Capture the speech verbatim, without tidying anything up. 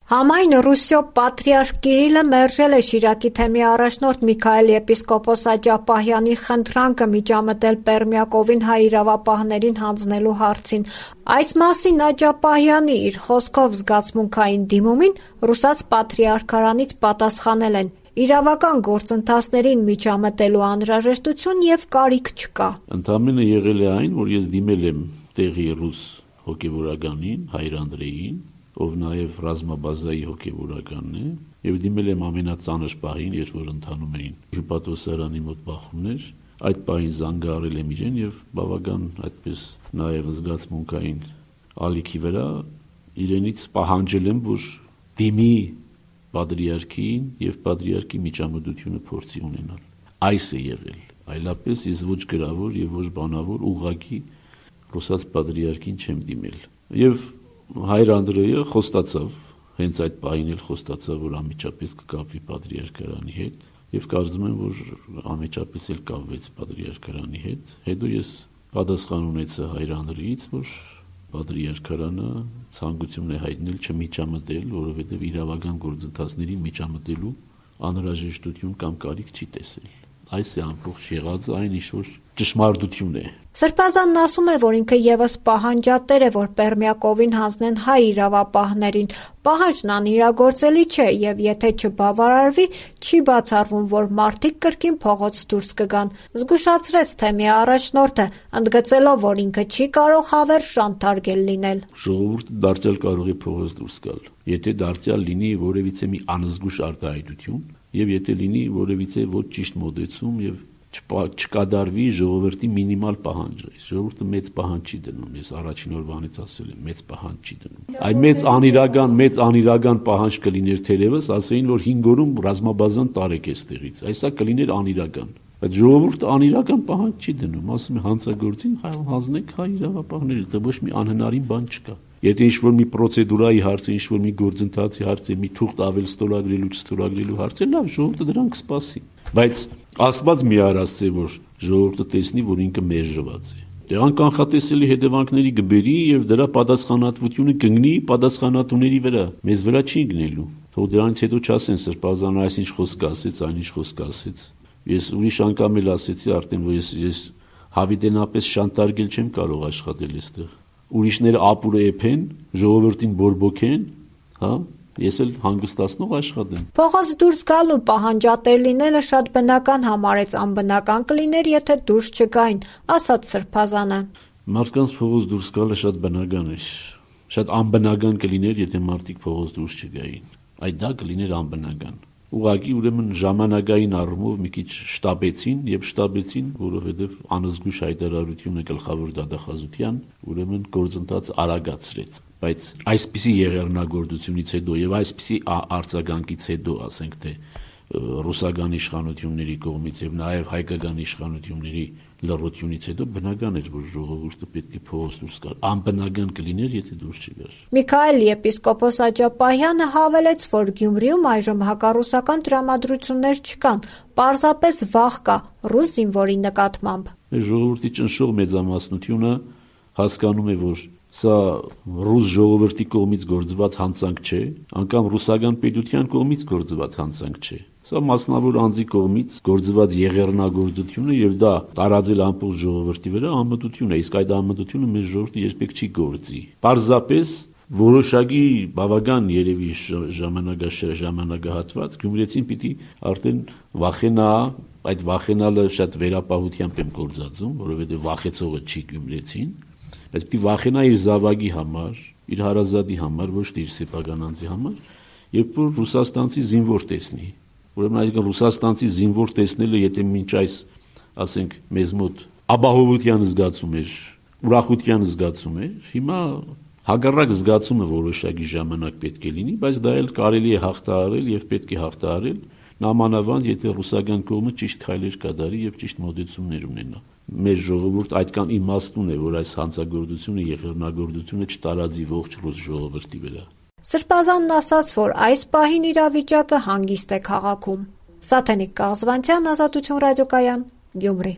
Համայն Ռուսիո պատրիարք Կիրիլը մերժել է Շիրակի թեմի առաջնորդ Միքայել եպիսկոպոս Աջապահյանի խնդրանքը միջամտել Պերմյակովին հայ իրավապահներին հանձնելու հարցին։ Այս մասին Աջապահյանի իր խոսքով զգացմունքային դիմումին ռուսաց պատրիարքարանից պատասխանել են. իրավական գործընթացներին միջամտելու անհրաժեշտություն եւ կարիք չկա։ Ընդամենը եղել է այն, որ ես դիմել եմ տեղի ռուս հոգեվորականին, Հայր Անդրեյին, ով նաև ռազմաբազայի հոգեվորականն է, եւ դիմել եմ ամենածանր պահին, երբ որ ընթանում էին հյուպատոսարանի մոտ բախումներ, այդ պահին զանգահարել եմ իրեն եւ բավական այդպես նաև զգացմունքային ալիքի վրա իրենից պահանջել եմ, որ դիմի պատրիարքին եւ պատրիարքի միջամտությունը փորձի ունենալ։ Այս է եղել, այլապես ես ոչ գրավոր եւ ոչ բանավոր ուղղակի ռուսաց պատրիարքին չեմ դիմել։ Եվ Հայր Անդրեյը խոստացավ, հենց այդ պահին էլ խոստացավ, որ անմիջապես կկապվի պատրիարքարանի հետ, եւ կարծում եմ, որ անմիջապես էլ կապվեց պատրիարքարանի հետ։ Հետո ես պատասխան ունեցա Հայր Անդրեյից, որ պատրիարքարանը ցանկություն է հայտնել չմիջամտել, որովհետեւ իրավական գործընթացներին միջամտելու անհրաժեշտություն կամ կարիք չի տեսել։ Այս է ամբողջ եղածը, այն ինչ որ ճշմարտություն է։ Սրբազանն ասում է, որ ինքը եւս պահանջատեր է, որ Պերմյակովին հանձնեն հայ իրավապահներին։ Պահանջն անիրագործելի չէ եւ եթե չբավարարվի, չի բացառվում, որ մարդիկ կրկին փողոց դուրս կգան։ Զգուշացրեց թեմի առաջնորդը, ընդգծելով, որ ինքը չի կարող հավերժ ժանտարգել լինել։ Ժողովուրդը դարձյալ կարող է փողոց դուրս գալ, եթե դարձյալ լինի որևիցե մի անզգուշ արտահայտություն եւ եթե լինի որևիցե ոչ ճիշտ մոտեցում եւ չկադարվի ժողովրդի մինիմալ պահանջը։ Ժողովուրդը մեծ պահանջ չի դնում, ես առաջին օրվանից ասել եմ, մեծ պահանջ չի դնում։ Այ մեծ անիրական, մեծ անիրական պահանջ կլիներ թերևս, ասեին, որ հինգ օրում ռազմաբազան տարեք էստեղից։ Այսա կլիներ անիրական։ Բայց ժողովուրդը անիրական պահանջ չի դնում, ասում է հանցագործին հանձնեք հայ իրավապահների, դա ոչ մի անհնարին բան չկա։ Եթե ինչ-որ մի պրոցեդուրայի հարց է, ինչ-որ մի գործընթացի հարց է, մի թուղթ ավել ստորագրելու, չստորագրելու հարց է, լավ, ժողովուրդը դրան կսպասի։ Բայց Աստված մի արասցե, որ ժողովուրդը տեսնի, որ ինքը մերժված է։ Դրան կանխատեսելի հետևանքների կբերի եւ դրա պատասխանատվությունը կգնի պատասխանատուների վրա, մեզ վրա չի գնելու։ Թող դրանից հետո չասեն Սրբազանը այսինչ խոսք ասեց, այնինչ խոսք ասեց։ Ես ուրիշ անգամ էլ ասեցի արդեն, որ ես ես հավիտենապես շանտարգել չեմ կարող աշխատել այստեղ։ Ուրիշները ապուրը էփեն, ժողովրդին բորբոքեն, հա, ես էլ հանգստացնող աշխատեմ։ Փողոց դուրս գալու պահանջատեր լինելը շատ բնական համարեց, անբնական կլիներ, եթե դուրս չգային, ասաց Սրբազանը։ Մարդկանց փողոց դուրս գալը շատ բնական է։ Շատ անբնական կլիներ, եթե մարդիկ փողոց դուրս չգային։ Այդ դա կլիներ անբնական։ Ուղղակի ուրեմն ժամանակային առումով մի քիչ շտապեցին եւ շտապեցին, որովհետեւ անզգուշ հայտարարությունը գլխավոր դատախազության ուրեմն գործընթաց արագացրեց։ Բայց այսպիսի եղեռնագործությունից հետո եւ այսպիսի արձագանքից հետո, ասենք թե ռուսական իշխանությունների կողմից եւ նաեւ հայկական իշխանությունների լռությունից հետո բնական էր, որ ժողովուրդը պետք է փողոց դուրս գար։ Անբնական կլիներ, եթե դուրս չգար։ Միքայել եպիսկոպոս Աջապահյանը հավելեց, որ Գյումրիում այժմ հակառուսական տրամադրություններ չկան, պարզապես վախ կա ռուս զինվորի նկատմամբ։ Ժողովրդի ճնշող մեծամասնությունը հասկանում է, որ սա ռուս ժողովրդի կողմից գործված հանցանք չէ, անգամ ռուսական պետության կողմից գործված հանցանք չէ։ Սա մասնավոր անձի կողմից գործված եղեռնագործություն է եւ դա տարածել ամբողջ ժողովրդի վրա անմտություն է, իսկ այդ անմտությունը մեր ժողովուրդը երբեք չի գործի։ Պարզապես որոշակի բավական երևի ժամանակահատված գյումրեցին պիտի արդեն վախենա, այդ վախենալը շատ վերապահությամբ եմ գործածում, որովհետեւ վախեցողը չի գյումրեցին, բայց պիտի վախենա իր զավակի համար, իր հարազատի համար, ոչ թե իր սեփական անձի համար, երբ որ ռուսաստանցի զինվոր տեսնի։ Ուրեմն այսինքն ռուսաստանցի զինվոր տեսնելը, եթե մինչ այս, ասենք, մեզ մոտ ապահովության զգացում էր, ուրախության զգացում էր, հիմա հակառակ զգացումը որոշակի ժամանակ պետք է լինի, բայց դա էլ կարելի է հաղթահարել եւ պետք է հաղթահարել, նամանավանդ եթե ռուսական կողմը ճիշտ քայլեր կատարի եւ ճիշտ մոտեցումներ ունենա։ Մեր ժողովուրդ այդքան իմաստուն է, որ այս հանցագործությունը, եղեռնագործությունը չտարածի ողջ ռուս ժողովրդի վրա։ Սրբազանն ասաց, որ այս պահին իրավիճակը հանգիստ է քաղաքում։ Սաթենիկ Կաղզվանցյան, Ազատություն ռադիոկայան, Գյումրի։